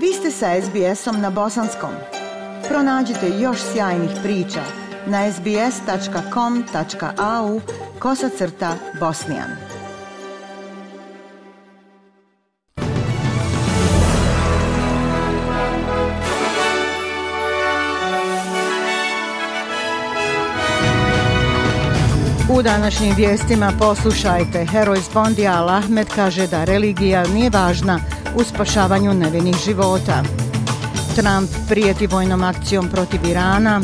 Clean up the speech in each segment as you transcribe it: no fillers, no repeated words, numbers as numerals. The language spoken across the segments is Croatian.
Vi ste sa SBS-om na bosanskom. Pronađite još sjajnih priča na sbs.com.au/bosnian. U današnjim vijestima poslušajte, heroj iz Bondija Al Ahmed kaže da religija nije važna u spašavanju nevinih života. Trump prijeti vojnom akcijom protiv Irana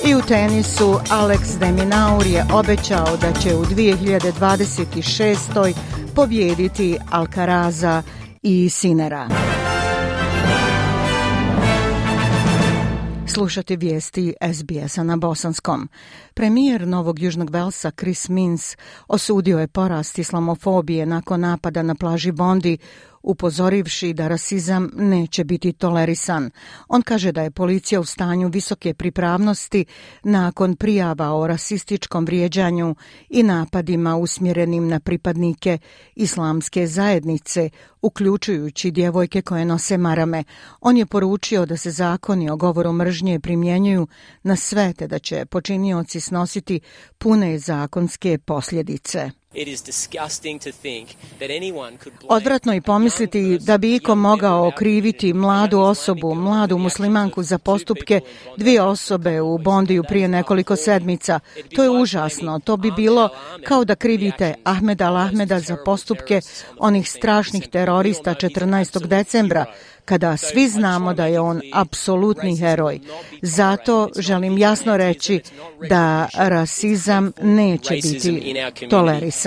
i u tenisu Alex de Minaur je obećao da će u 2026. pobijediti Alcaraza i Sinera. Slušate vijesti SBS-a na bosanskom. Premijer Novog Južnog Velsa Chris Minns osudio je porast islamofobije nakon napada na plaži Bondi, upozorivši da rasizam neće biti tolerisan. On kaže da je policija u stanju visoke pripravnosti nakon prijava o rasističkom vrijeđanju i napadima usmjerenim na pripadnike islamske zajednice, uključujući djevojke koje nose marame. On je poručio da se zakoni o govoru mržnje primjenjuju na sve, te da će počinioci snositi pune zakonske posljedice. Odvratno je pomisliti da bi iko mogao okriviti mladu osobu, mladu muslimanku za postupke dvije osobe u Bondiju prije nekoliko sedmica. To je užasno. To bi bilo kao da krivite Ahmeda Al Ahmeda za postupke onih strašnih terorista 14. decembra, kada svi znamo da je on apsolutni heroj. Zato želim jasno reći da rasizam neće biti tolerisan.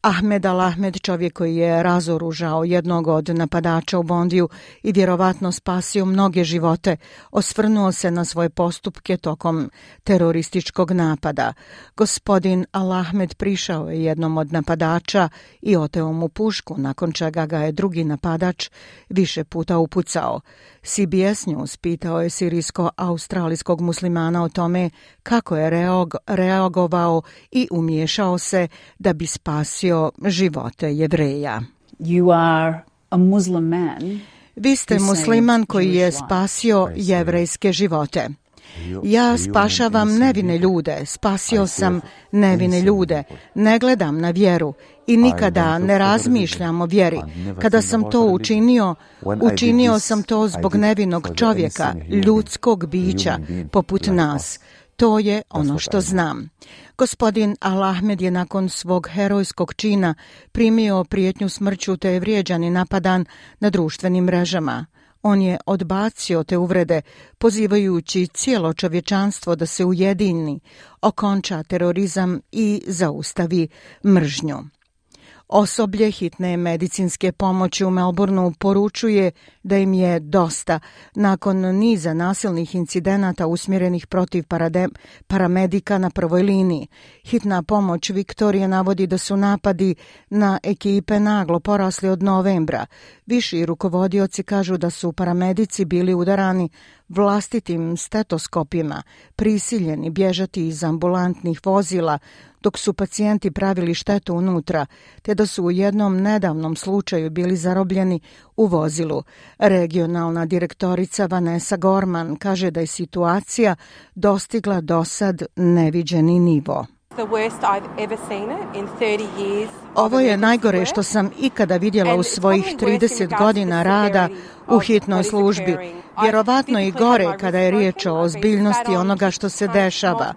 Ahmed Al Ahmed, čovjek koji je razoružao jednog od napadača u Bondiju i vjerovatno spasio mnoge živote, osvrnuo se na svoje postupke tokom terorističkog napada. Gospodin Al Ahmed prišao je jednom od napadača i oteo mu pušku, nakon čega ga je drugi napadač više puta upucao. CBS News pitao je sirijsko-australijskog muslimana o tome kako je reagovao i umiješao se da bi spasio živote Jevreja. Vi ste musliman koji je spasio jevrejske živote. Ja spašavam nevine ljude, spasio sam nevine ljude, ne gledam na vjeru i nikada ne razmišljam o vjeri. Kada sam to učinio sam to zbog nevinog čovjeka, ljudskog bića poput nas. To je ono što znam. Gospodin Al Ahmed je nakon svog herojskog čina primio prijetnju smrću te je vrijeđan i napadan na društvenim mrežama. On je odbacio te uvrede, pozivajući cijelo čovječanstvo da se ujedini, okonča terorizam i zaustavi mržnju. Osoblje hitne medicinske pomoći u Melbourneu poručuje da im je dosta nakon niza nasilnih incidenata usmjerenih protiv paramedika na prvoj liniji. Hitna pomoć Viktorije navodi da su napadi na ekipe naglo porasli od novembra. Viši rukovodioci kažu da su paramedici bili udarani vlastitim stetoskopima, prisiljeni bježati iz ambulantnih vozila, dok su pacijenti pravili štetu unutra, te da su u jednom nedavnom slučaju bili zarobljeni u vozilu. Regionalna direktorica Vanessa Gorman kaže da je situacija dostigla dosad neviđeni nivo. Ovo je najgore što sam ikada vidjela u svojih 30 godina rada u hitnoj službi. Vjerovatno i gore kada je riječ o ozbiljnosti onoga što se dešava.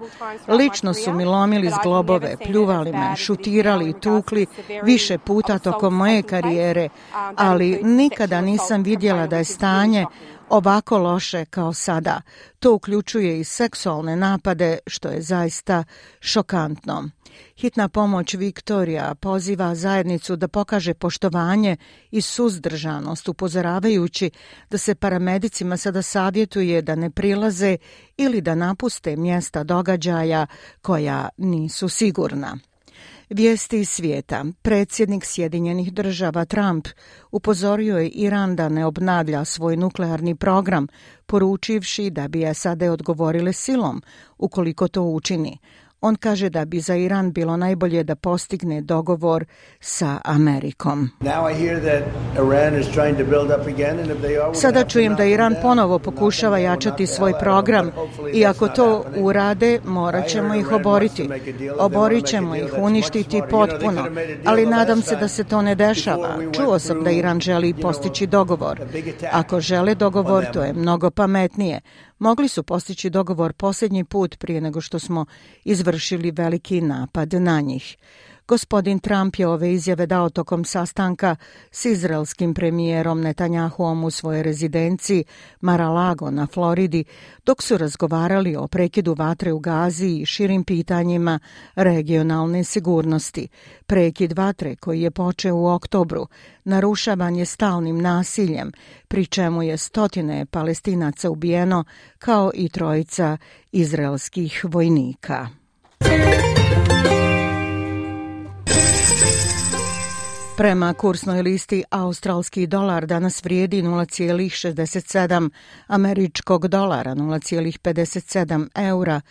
Lično su mi lomili zglobove, pljuvali me, šutirali i tukli više puta tokom moje karijere, ali nikada nisam vidjela da je stanje ovako loše kao sada. To uključuje i seksualne napade, što je zaista šokantno. Hitna pomoć Viktorija poziva zajednicu da pokaže poštovanje i suzdržanost, upozoravajući da se paramedicima sada savjetuje da ne prilaze ili da napuste mjesta događaja koja nisu sigurna. Vijesti iz svijeta. Predsjednik Sjedinjenih Država Trump upozorio je Iran da ne obnavlja svoj nuklearni program, poručivši da bi SAD odgovorile silom ukoliko to učini. On kaže da bi za Iran bilo najbolje da postigne dogovor sa Amerikom. Sada čujem da Iran ponovo pokušava jačati svoj program i ako to urade, morat ćemo ih oboriti. Oborit ćemo ih, uništiti potpuno, ali nadam se da se to ne dešava. Čuo sam da Iran želi postići dogovor. Ako žele dogovor, to je mnogo pametnije. Mogli su postići dogovor posljednji put prije nego što smo izvršili veliki napad na njih. Gospodin Trump je ove izjave dao tokom sastanka s izraelskim premijerom Netanjahuom u svojoj rezidenciji Mar-a-Lago na Floridi, dok su razgovarali o prekidu vatre u Gazi i širim pitanjima regionalne sigurnosti. Prekid vatre koji je počeo u oktobru narušavan je stalnim nasiljem, pri čemu je stotine Palestinaca ubijeno kao i 3 izraelskih vojnika. Prema kursnoj listi, australski dolar danas vrijedi 0,67 američkog dolara, 0,57 eura,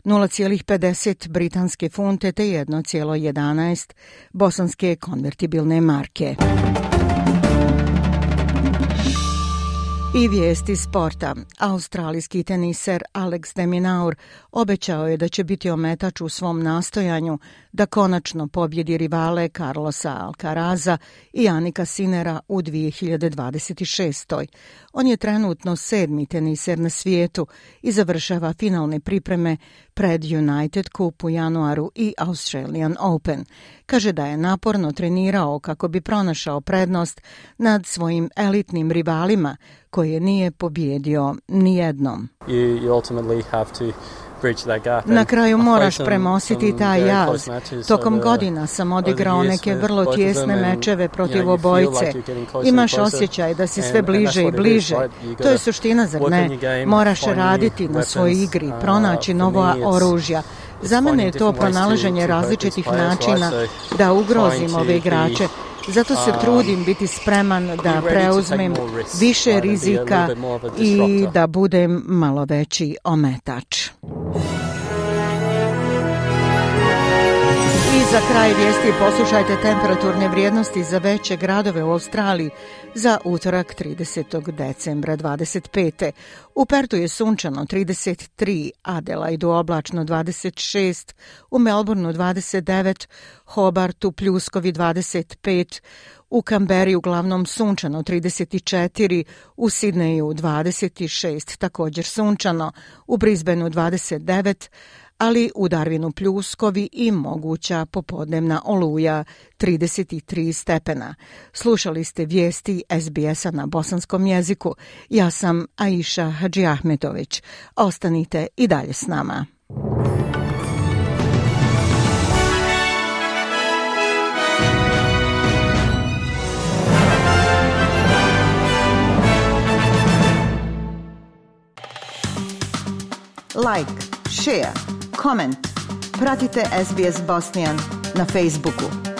0,50 britanske funte te 1,11 bosanske konvertibilne marke. I vijesti sporta. Australijski teniser Alex de Minaur obećao je da će biti ometač u svom nastojanju da konačno pobjedi rivale Carlosa Alcaraza i Jannika Sinnera u 2026. On je trenutno 7. teniser na svijetu i završava finalne pripreme pred United Cup u januaru i Australian Open. Kaže da je naporno trenirao kako bi pronašao prednost nad svojim elitnim rivalima koje nije pobjedio nijednom. Na kraju moraš premostiti taj jaz. Tokom godina sam odigrao neke vrlo tijesne mečeve protiv obojice. Imaš osjećaj da si sve bliže i bliže. To je suština, zar ne? Moraš raditi na svojoj igri, pronaći nova oružja. Za mene je to pronalaženje različitih načina da ugrozim ove igrače. Zato se trudim biti spreman da preuzmem više rizika i da budem malo veći ometač. I za kraj vijesti poslušajte temperaturne vrijednosti za veće gradove u Australiji za utorak 30. decembra 25. U Pertu je sunčano 33, Adelaidu oblačno 26, u Melbourneu 29, Hobartu pljuskovi 25, u Kamberi uglavnom sunčano 34, u Sidneju 26, također sunčano, u Brisbaneu 29, ali u Darwinu pljuskovi i moguća popodnevna oluja 33 stepena. Slušali ste vijesti SBS-a na bosanskom jeziku. Ja sam Aisha Hadžiahmetović. Ostanite i dalje s nama. Like, share, comment. Pratite SBS Bosnian na Facebooku.